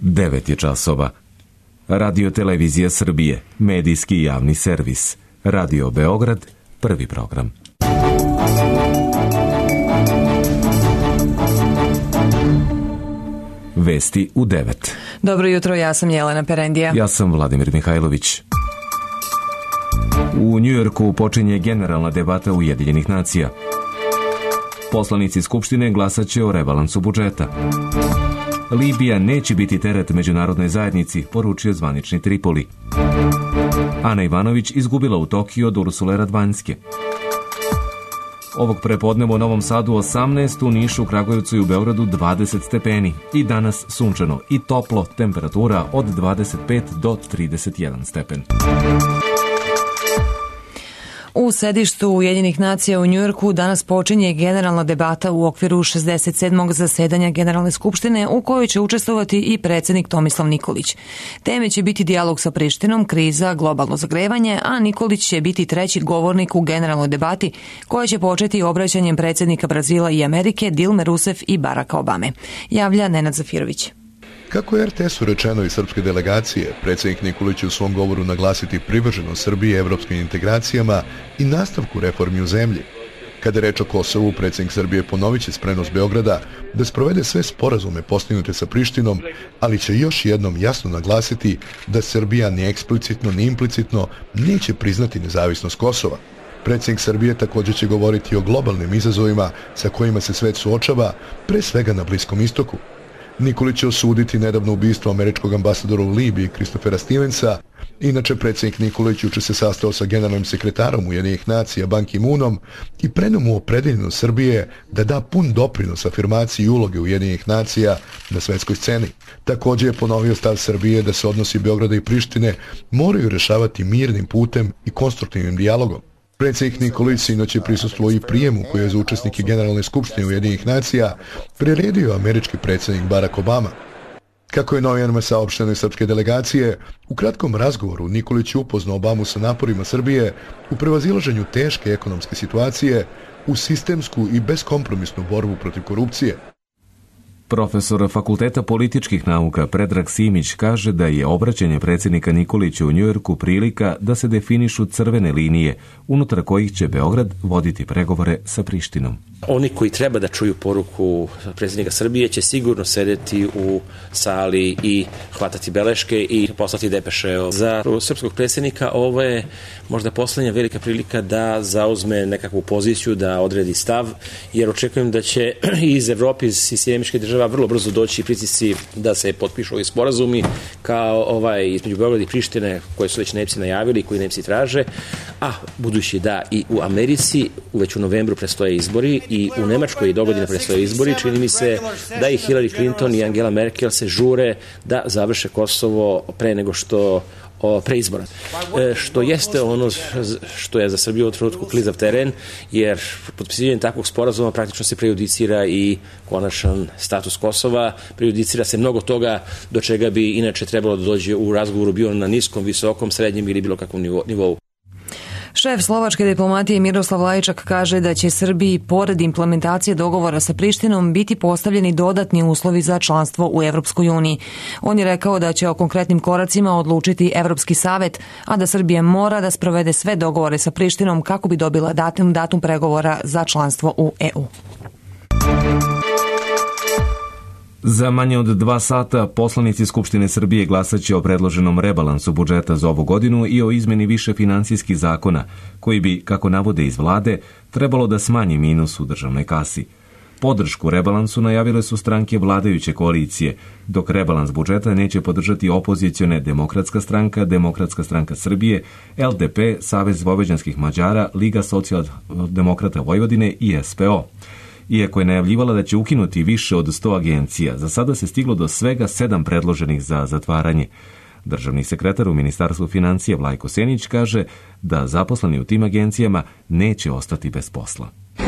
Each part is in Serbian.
9 je časova. Radio Televizija Srbije, medijski javni servis. Radio Beograd, prvi program. Vesti u 9. Dobro jutro, ja sam Jelena Perendija. Ja sam Vladimir Mihajlović. U Njujorku počinje generalna debata Ujedinjenih nacija. Poslanici Skupštine glasaće o rebalansu budžeta. Libija neće biti teret međunarodnoj zajednici, poručio zvanični Tripoli. Ana Ivanović izgubila u Tokiju od Ursule Radvanjske. Ovog prepodneva u Novom Sadu 18, u Nišu, Kragujevcu i u Beogradu 20 stepeni. I danas sunčano i toplo, temperatura od 25 do 31 stepen. U sedištu Ujedinjenih nacija u Njujorku danas počinje generalna debata u okviru 67. zasedanja Generalne skupštine u kojoj će učestvovati i predsjednik Tomislav Nikolić. Teme će biti dijalog sa Prištinom, kriza, globalno zagrevanje, a Nikolić će biti treći govornik u generalnoj debati koja će početi obraćanjem predsjednika Brazila i Amerike Dilme Rousseff i Baracka Obame. Javlja Nenad Zafirović. Kako je RTS-u rečeno iz srpske delegacije, predsjednik Nikolić će u svom govoru naglasiti privrženost Srbije evropskim integracijama i nastavku reformi u zemlji. Kada je reč o Kosovu, predsjednik Srbije ponovit će spremnost Beograda da sprovede sve sporazume postignute sa Prištinom, ali će još jednom jasno naglasiti da Srbija ni eksplicitno ni implicitno neće priznati nezavisnost Kosova. Predsjednik Srbije također će govoriti o globalnim izazovima sa kojima se svet suočava, pre svega na Bliskom istoku. Nikolić će osuditi nedavno ubistvo američkog ambasadora u Libiji Christophera Stevensa. Inače, predsjednik Nikolić juče se sastao sa generalnim sekretarom Ujedinjenih nacija Ban Ki-moonom i preneo mu opredeljenost Srbije da da pun doprinos afirmaciji i uloge Ujedinjenih nacija na svetskoj sceni. Također je ponovio stav Srbije da se odnosi Beograda i Prištine moraju rješavati mirnim putem i konstruktivnim dijalogom. Predsjednik Nikolić sinoć je prisustvovao i prijemu koji je za učesnike Generalne skupštine Ujedinjenih nacija priredio američki predsjednik Barack Obama. Kako je novinarima saopšteno iz srpske delegacije, u kratkom razgovoru Nikolić je upoznao Obamu sa naporima Srbije u prevazilaženju teške ekonomske situacije u sistemsku i beskompromisnu borbu protiv korupcije. Profesor Fakulteta političkih nauka Predrag Simić kaže da je obraćanje predsjednika Nikolića u Njujorku prilika da se definišu crvene linije, unutar kojih će Beograd voditi pregovore sa Prištinom. Oni koji treba da čuju poruku predsjednika Srbije će sigurno sedeti u sali i hvatati beleške i poslati depeše. Za srpskog predsjednika ovo je možda poslednja velika prilika da zauzme nekakvu poziciju, da odredi stav, jer očekujem da će iz Evrope, iz Sjedinjenih Država vrlo brzo doći pritisci da se potpišu ovi sporazumi kao između Beograda i Prištine koje su već Nemci najavili, koji Nemci traže, a budući da i u Americi već u novembru predstoje izbori i u Nemačkoj dogodine predstoje izbori, čini mi se da i Hillary Clinton i Angela Merkel se žure da završe Kosovo pre nego što pre izbora. Što jeste ono što je za Srbiju u trenutku klizav teren, jer potpisivanjem takvog sporazuma praktično se prejudicira i konačan status Kosova, prejudicira se mnogo toga do čega bi inače trebalo da dođe u razgovoru bio na niskom, visokom, srednjem ili bilo kakvom nivou. Šef slovačke diplomatije Miroslav Lajčak kaže da će Srbiji, pored implementacije dogovora sa Prištinom, biti postavljeni dodatni uslovi za članstvo u Evropskoj uniji. On je rekao da će o konkretnim koracima odlučiti Evropski savet, a da Srbija mora da sprovede sve dogovore sa Prištinom kako bi dobila datum pregovora za članstvo u EU. Za manje od 2 sata poslanici Skupštine Srbije glasaće o predloženom rebalansu budžeta za ovu godinu i o izmeni više finansijskih zakona, koji bi, kako navode iz vlade, trebalo da smanji minus u državnoj kasi. Podršku rebalansu najavile su stranke vladajuće koalicije, dok rebalans budžeta neće podržati opozicione Demokratska stranka Srbije, LDP, Savez vojvođanskih Mađara, Liga socijaldemokrata Vojvodine i SPO. Iako je najavljivala da će ukinuti više od 100 agencija, za sada se stiglo do svega 7 predloženih za zatvaranje. Državni sekretar u Ministarstvu financija Vlajko Senić kaže da zaposleni u tim agencijama neće ostati bez posla.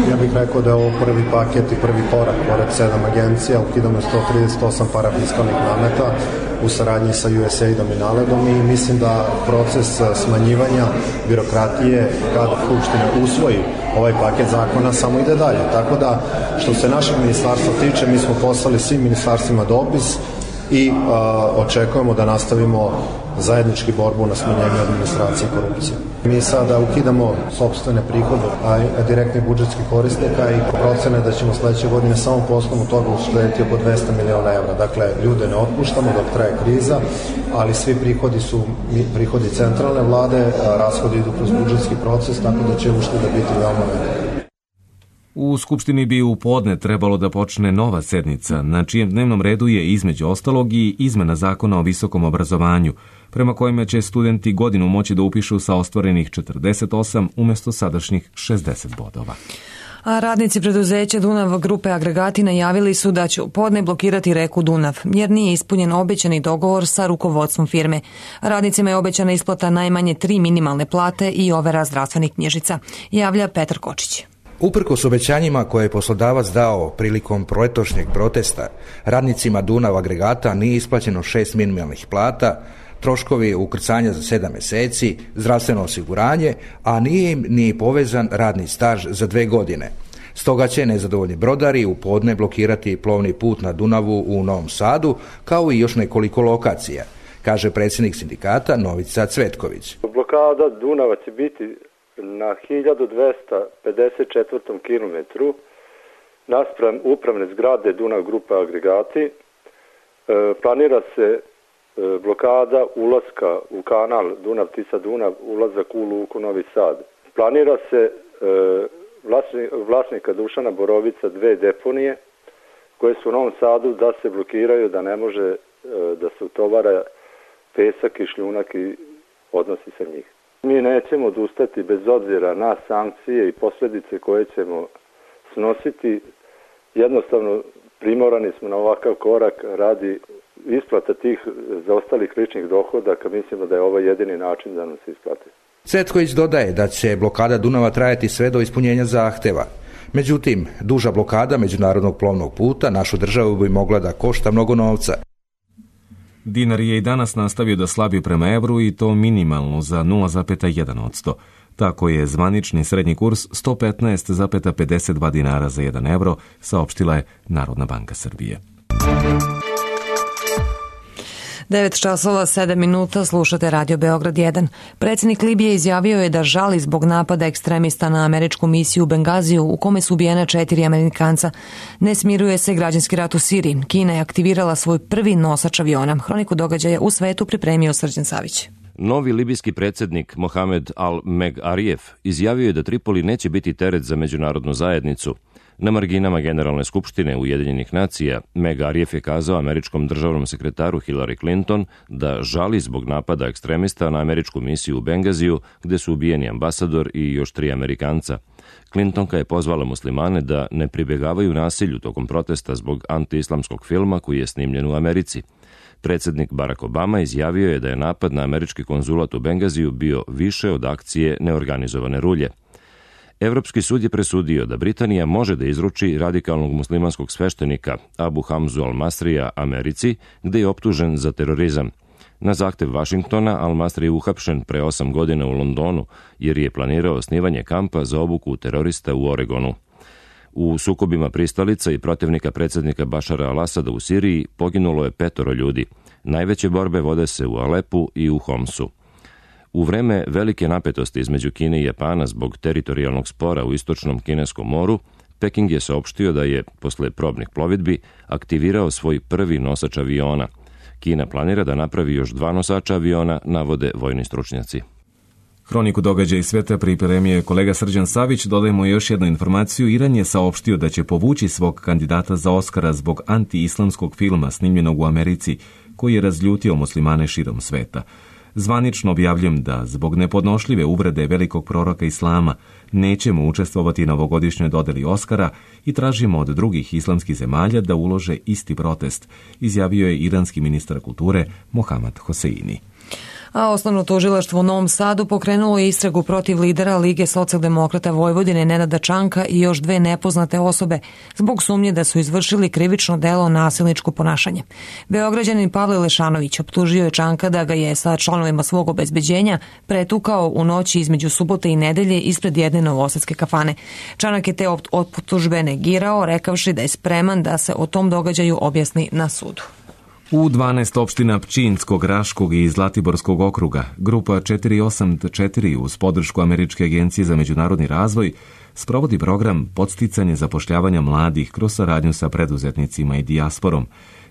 Ja bih rekao da je ovo prvi paket i prvi korak pored 7 agencija, ukidamo 138 parafiskalnih nameta u saradnji sa USAID-om i NALED-om i mislim da proces smanjivanja birokratije kada Skupština usvoji ovaj paket zakona samo ide dalje. Tako da što se našeg ministarstva tiče, mi smo poslali svim ministarstvima dopis i očekujemo da nastavimo zajednički borbu na smanjenju administracije i korupcije. Mi sada ukidamo sopstvene prihode direktnih budžetskih korisnika i procene da ćemo sledeće godine samo po osnovu toga uštedeti oko 200 miliona evra. Dakle, ljude ne otpuštamo dok traje kriza, ali svi prihodi su prihodi centralne vlade, rashodi idu kroz budžetski proces, tako da će ušteda biti veoma velika. U Skupštini bi u podne trebalo da počne nova sednica, na čijem dnevnom redu je između ostalog i izmena zakona o visokom obrazovanju, prema kojima će studenti godinu moći da upišu sa ostvarenih 48 umjesto sadašnjih 60 bodova. A radnici preduzeća Dunav grupe Agregati najavili su da će u podne blokirati reku Dunav, jer nije ispunjen obećani dogovor sa rukovodstvom firme. Radnicima je obećana isplata najmanje 3 minimalne plate i overa zdravstvenih knjižica, javlja Petar Kočić. Uprkos obećanjima koje je poslodavac dao prilikom proletošnjeg protesta, radnicima Dunav Agregata nije isplaćeno 6 minimalnih plata, troškovi ukrcanja za 7 mjeseci, zdravstveno osiguranje, a nije im ni povezan radni staž za 2 godine. Stoga će nezadovoljni brodari u podne blokirati plovni put na Dunavu u Novom Sadu, kao i još nekoliko lokacija, kaže predsjednik sindikata Novica Cvetković. Blokada Dunava će biti na 1254. kilometru naspram upravne zgrade Dunav grupe Agregati. Planira se blokada ulaska u kanal Dunav-Tisa-Dunav, ulazak u luku Novi Sad. Planira se vlasnika Dušana Borovica 2 deponije koje su u Novom Sadu da se blokiraju, da ne može da se utovara pesak i šljunak i odnosi sa njih. Mi nećemo odustati bez obzira na sankcije i posljedice koje ćemo snositi. Jednostavno primorani smo na ovakav korak radi isplata tih zaostalih ličnih dohodaka. Mislimo da je ovo jedini način da nam se isplati. Cvetković dodaje da će blokada Dunava trajati sve do ispunjenja zahteva. Međutim, duža blokada međunarodnog plovnog puta našu državu bi mogla da košta mnogo novca. Dinar je i danas nastavio da slabi prema evru i to minimalno za 0,1%. Tako je zvanični srednji kurs 115,52 dinara za 1 evro, saopštila je Narodna banka Srbije. 9 časova 7 minuta, slušate Radio Beograd 1. Predsjednik Libije izjavio je da žali zbog napada ekstremista na američku misiju u Bengaziju u kome su ubijena 4 Amerikanca. Ne smiruje se građanski rat u Siriji. Kina je aktivirala svoj prvi nosač aviona. Hroniku događaja u svetu pripremio Srđan Savić. Novi libijski predsjednik Mohamed Al-Meg Arief izjavio je da Tripoli neće biti teret za međunarodnu zajednicu. Na marginama Generalne skupštine Ujedinjenih nacija, Meg Arief je kazao američkom državnom sekretaru Hillary Clinton da žali zbog napada ekstremista na američku misiju u Bengaziju, gde su ubijeni ambasador i još 3 Amerikanca. Clintonka je pozvala muslimane da ne pribjegavaju nasilju tokom protesta zbog antiislamskog filma koji je snimljen u Americi. Predsjednik Barack Obama izjavio je da je napad na američki konzulat u Bengaziju bio više od akcije neorganizovane rulje. Evropski sud je presudio da Britanija može da izruči radikalnog muslimanskog sveštenika Abu Hamzu al-Masrija Americi, gde je optužen za terorizam. Na zahtev Vašingtona, al-Masri je uhapšen pre 8 godina u Londonu, jer je planirao osnivanje kampa za obuku terorista u Oregonu. U sukobima pristalica i protivnika predsjednika Bašara al-Asada u Siriji poginulo je 5 ljudi. Najveće borbe vode se u Alepu i u Homsu. U vreme velike napetosti između Kine i Japana zbog teritorijalnog spora u istočnom kineskom moru, Peking je saopštio da je, posle probnih plovidbi, aktivirao svoj prvi nosač aviona. Kina planira da napravi još 2 nosača aviona, navode vojni stručnjaci. Hroniku događaja iz sveta pripremio je kolega Srđan Savić. Dodajemo još jednu informaciju. Iran je saopštio da će povući svog kandidata za Oskara zbog anti-islamskog filma snimljenog u Americi, koji je razljutio muslimane širom sveta. Zvanično objavljujem da zbog nepodnošljive uvrede velikog proroka Islama nećemo učestvovati na ovogodišnjoj dodeli Oskara i tražimo od drugih islamskih zemalja da ulože isti protest, izjavio je iranski ministar kulture Mohammad Hoseini. A osnovno tužilaštvo u Novom Sadu pokrenulo je istragu protiv lidera Lige socijaldemokrata Vojvodine Nenada Čanka i još 2 nepoznate osobe zbog sumnje da su izvršili krivično delo nasilničko ponašanje. Beograđanin Pavle Lešanović optužio je Čanka da ga je sa članovima svog obezbeđenja pretukao u noći između subote i nedelje ispred jedne novosadske kafane. Čanak je te optužbe negirao, rekavši da je spreman da se o tom događaju objasni na sudu. U 12 opština Pčinjskog, Raškog i Zlatiborskog okruga, grupa 484 uz podršku Američke agencije za međunarodni razvoj sprovodi program podsticanje zapošljavanja mladih kroz saradnju sa preduzetnicima i dijasporom.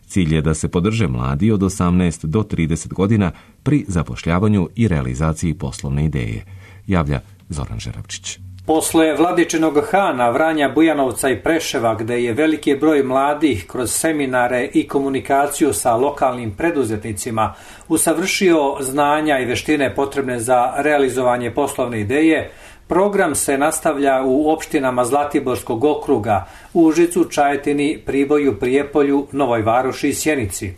Cilj je da se podrže mladi od 18 do 30 godina pri zapošljavanju i realizaciji poslovne ideje, javlja Zoran Žeravčić. Posle Vladičinog Hana, Vranja, Bujanovca i Preševa, gde je veliki broj mladih kroz seminare i komunikaciju sa lokalnim preduzetnicima usavršio znanja i veštine potrebne za realizovanje poslovne ideje, program se nastavlja u opštinama Zlatiborskog okruga, Užicu, Čajetini, Priboju, Prijepolju, Novoj Varoši i Sjenici.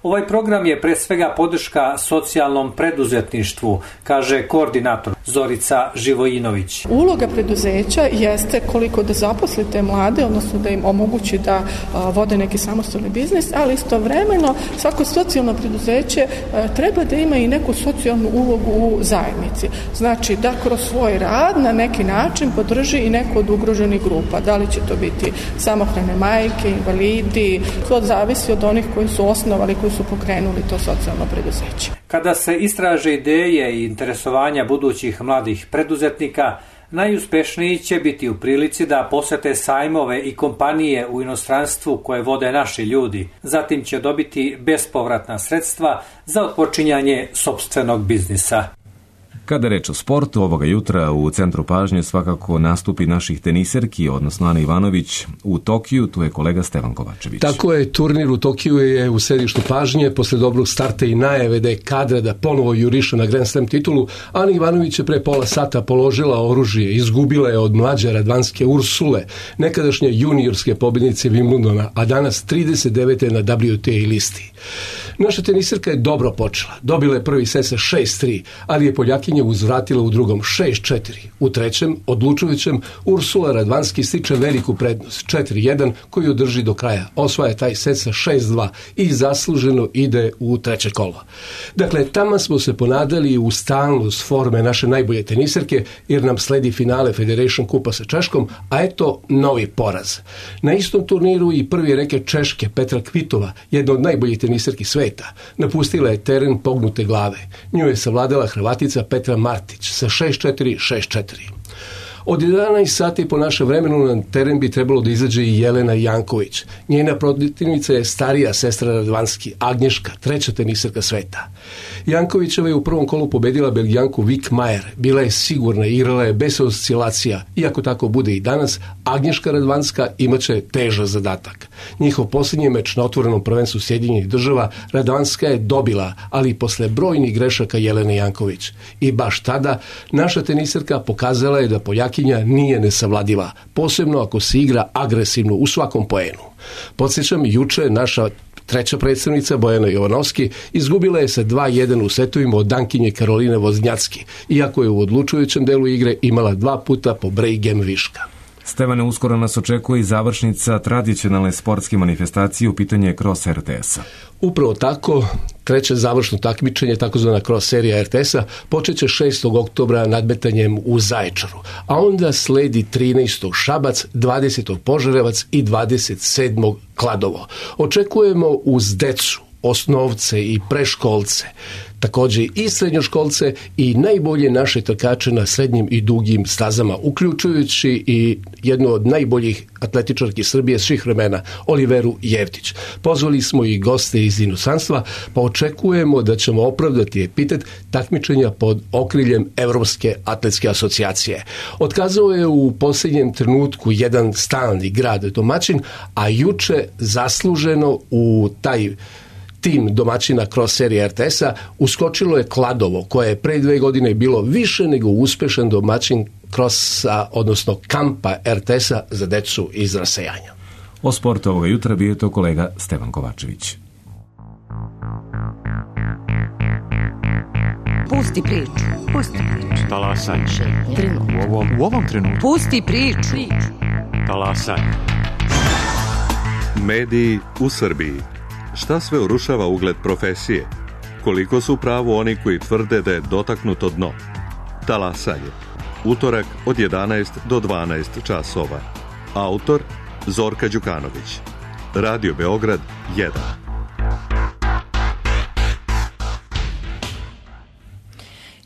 Ovaj program je pre svega podrška socijalnom preduzetništvu, kaže koordinator Zorica Živojinović. Uloga preduzeća jeste koliko da zaposlite mlade, odnosno da im omogući da vode neki samostalni biznis, ali istovremeno svako socijalno preduzeće treba da ima i neku socijalnu ulogu u zajednici. Znači da kroz svoj rad na neki način podrži i neku od ugroženih grupa. Da li će to biti samohrane majke, invalidi, to zavisi od onih koji su osnovali, koji su pokrenuli to socijalno preduzeće. Kada se istraže ideje i interesovanja budućih mladih preduzetnika, najuspešniji će biti u prilici da posete sajmove i kompanije u inostranstvu koje vode naši ljudi. Zatim će dobiti bespovratna sredstva za otpočinjanje sopstvenog biznisa. Kada reč o sportu, ovoga jutra u centru pažnje svakako nastupi naših teniserki, odnosno Ana Ivanović u Tokiju, tu je kolega Stevan Kovačević. Tako je, turnir u Tokiju je u središtu pažnje, posle dobrog starta i najave da je kadra da ponovo juriša na Grand Slam titulu. Ana Ivanović je pre pola sata položila oružje, izgubila je od mlađe radvanske Ursule, nekadašnje juniorske pobjednice Wimbledona, a danas 39. na WTA listi. Naša teniserka je dobro počela, dobila je prvi set sa 6-3, ali je Poljakinja uzvratila u drugom 6-4. U trećem, odlučujućem, Ursula Radvanski stiče veliku prednost 4-1 koju drži do kraja. Osvaja taj set sa 6-2 i zasluženo ide u treće kolo. Dakle, tamo smo se ponadali u stalnost forme naše najbolje teniserke, jer nam sledi finale Federation Kupa sa Češkom, a eto novi poraz. Na istom turniru i prvi reket Češke Petra Kvitova, jedna od najboljih teniserki sveta, napustila je teren pognute glave. Nju je savladala Hrvatica Petra Martić sa 6-4, 6-4. Od 11 sati po našem vremenu na teren bi trebalo da izađe i Jelena Janković. Njena protivnica je starija sestra Radvanski, Agnješka, treća teniserka sveta. Jankovićeva je u prvom kolu pobedila Belgijanku Vik Majer. Bila je sigurna, igrala je bez oscilacija. Iako tako bude i danas, Agnješka Radvanska imaće težak zadatak. Njihov posljednji meč na otvorenom prvenstvu Sjedinjenih država Radvanska je dobila, ali posle brojnih grešaka Jelene Janković. I baš tada naša teniserka pokazala je da Poljakinja nije nesavladiva, posebno ako se igra agresivno u svakom poenu. Podsjećam, juče naša treća predstavnica Bojana Jovanovski izgubila je sa 2-1 u setovima od Dankinje Karoline Voznjacki, iako je u odlučujućem delu igre imala 2 puta po break game viška. Stevane, uskoro nas očekuje i završnica tradicionalne sportske manifestacije, u pitanje je Cross RTS-a. Upravo tako, treće završno takmičenje, takozvana cross serija RTS-a, počeće 6. oktobra nadmetanjem u Zaječaru, a onda sledi 13. Šabac, 20. Požarevac i 27. Kladovo. Očekujemo uz decu, osnovce i preškolce, također i srednjoškolce i najbolje naše trkače na srednjim i dugim stazama, uključujući i jednu od najboljih atletičarki Srbije svih vremena, Oliveru Jevtić. Pozvali smo i goste iz inostranstva, pa očekujemo da ćemo opravdati epitet takmičenja pod okriljem Evropske atletske asocijacije. Otkazao je u posljednjem trenutku jedan stalni grad domaćin, a juče zasluženo u taj tim domaćina cross serije RTS-a uskočilo je Kladovo, koje je pre 2 godine bilo više nego uspešan domaćin crossa, odnosno kampa RTS-a za decu iz rasejanja. O sportu ovoga jutra bio je to kolega Stevan Kovačević. Pusti priču. Pusti priču. Talasaj. U ovom trenutku. Pusti priču. Talasaj. Mediji u Srbiji. Šta sve urušava ugled profesije? Koliko su pravo oni koji tvrde da je dotaknuto dno? Talasanje. Utorak od 11 do 12 časova. Autor Zorka Đukanović. Radio Beograd 1.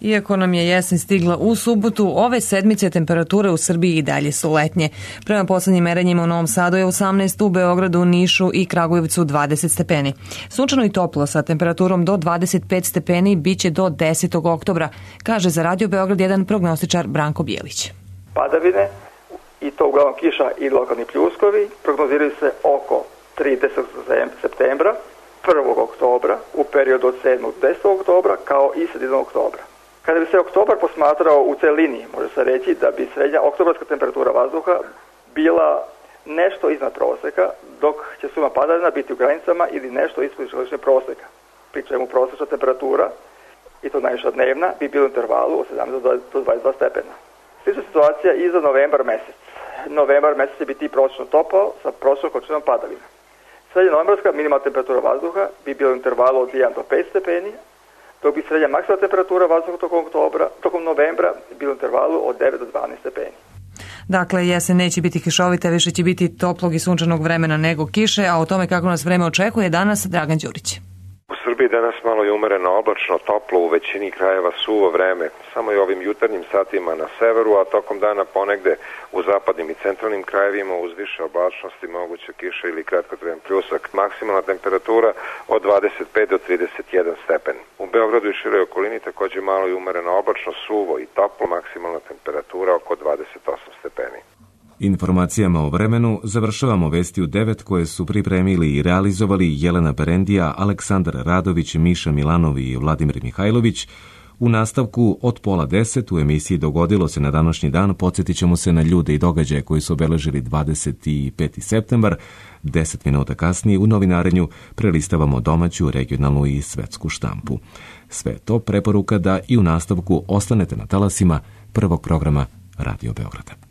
Iako nam je jesen stigla u subotu, ove sedmice temperature u Srbiji i dalje su letnje. Prema poslednjim merenjima u Novom Sadu je 18, u Beogradu, Nišu i Kragujevcu 20 stepeni. Sunčano i toplo sa temperaturom do 25 stepeni biće do 10. oktobra, kaže za Radio Beograd 1 prognostičar Branko Bijelić. Padavine, i to uglavnom kiša i lokalni pljuskovi, prognoziraju se oko 30. septembra, 1. oktobra, u periodu od 7. do 10. oktobra, kao i sredinom oktobra. Kada bi se oktobar posmatrao u celini, može se reći da bi srednja oktobarska temperatura vazduha bila nešto iznad proseka, dok će suma padavina biti u granicama ili nešto ispod godišnjeg proseka. Pri čemu prosečna temperatura, i to najviša dnevna, bi bila u intervalu od 17 do 22 stepena. Slična situacija i za novembar mesec. Novembar mesec će biti prosečno topao sa prosečnom količinom padavina. Srednja novembarska minimalna temperatura vazduha bi bila u intervalu od 1 do 5 stepeni, dok bi srednja maksimalna temperatura vazduha tokom novembra bila u intervalu od 9 do 12 stepeni. Dakle, jesen neće biti kišovita, više će biti toplog i sunčanog vremena nego kiše, a o tome kako nas vreme očekuje danas Dragan Đurić. U Srbiji danas malo je umereno oblačno, toplo, u većini krajeva suvo vreme, samo i ovim jutarnjim satima na severu, a tokom dana ponegde u zapadnim i centralnim krajevima uz više oblačnosti moguće kiša ili kratkotrajan pljusak. Maksimalna temperatura od 25 do 31 stepen. U Beogradu i široj okolini takođe malo je umereno oblačno, suvo i toplo, maksimalna temperatura oko 28 stepeni. Informacijama o vremenu završavamo vesti u 9 koje su pripremili i realizovali Jelena Perendija, Aleksandar Radović, Miša Milanov i Vladimir Mihajlović. U nastavku od 9:30 u emisiji Dogodilo se na današnji dan podsjetit ćemo se na ljude i događaje koji su obeležili 25. septembar. 10 minuta kasnije u novinarenju prelistavamo domaću, regionalnu i svetsku štampu. Sve to preporuka da i u nastavku ostanete na talasima prvog programa Radio Beograda.